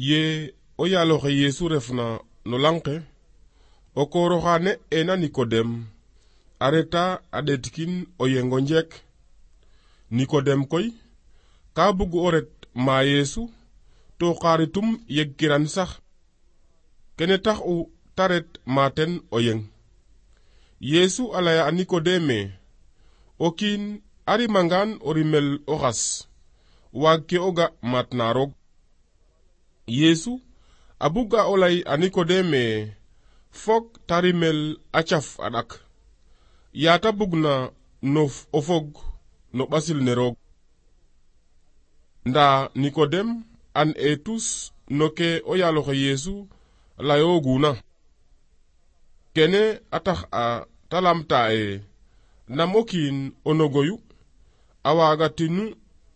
ye o yaaloxe Yesu refna no lanqe o kooroxane ena Nikodem a reta a ɗetkin o yengo njek. Nikodem koy ka bug o ret ma Yesu to xaritum yeg kiran sax, kene tax u ta ret maten o yeng. Yesu a laya a Nikodeme, o kiin a rimangan o rimel o xas waag ke o ga mat na roog. Yesu a buga o lay a Nikodeme fok ta rimel a caf a ɗak, yaata bugna o fog no ɓasil ne roog. Nda Nikodem an e tus no ke o yaaloxe Yesu layooguna. Kene a tax a ta lamta e nam o kiin o nogoyu a waagatinu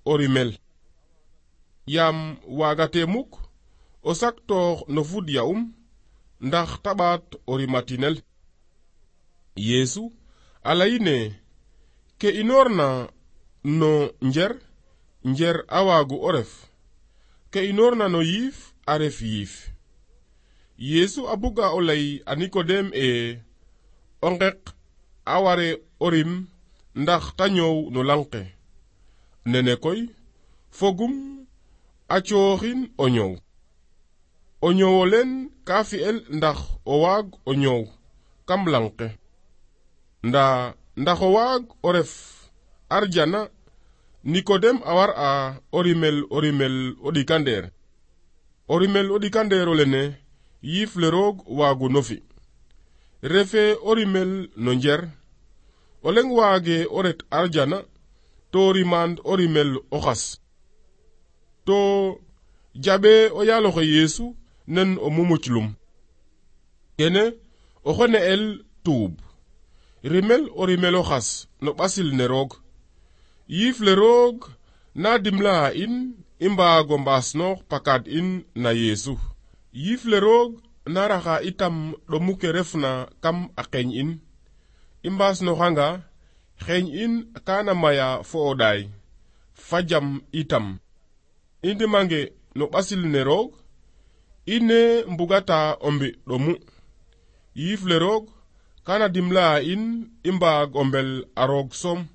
o rimel, yaam waagate muk o saktoox no fud ya'um ndax ta ɓaat o rimatinel. Yesu a layine ke inoorna no njer a waagu o ref, ke inoorna no yiif a ref yiif. Yesu a buga o lay a Nikodem o ngeq a ware o rim ndax ta ñoow no lanqe. Nene koy fogum a cooxin o ñoow. O ñoowole ka fi'el ndax o waag o ñoow kam lanqe. Ndax o waag o ref arjana, Nikodem a war a o rimel o ɗikandeer. O rimel o ɗikandeero lene yiif le roog waagu no fi. Refe o rimel no njer, o leng waage o ret arjana to rimand o rimel o xas. To jaɓe o yaaloxe Yesu nen o mumuclum. Kene o xone el tuub, rimel o rimel o xas no ɓasil ne roog. Yiif le roog na dimla a in i mbaago mbaasnoox pakaad in na Yesu. Yiif le roog na raxa itam ɗomu ke refna kam a qeeñ in. I mbaasnoxanga xeeñ in kana maya fo o ɗaay, fa jam itam. I ndimange no ɓasil ne roog, i ne mbugata o mbi ɗomu. Yiif le roog kana dimla a in i mbaag o mbel a roog soom.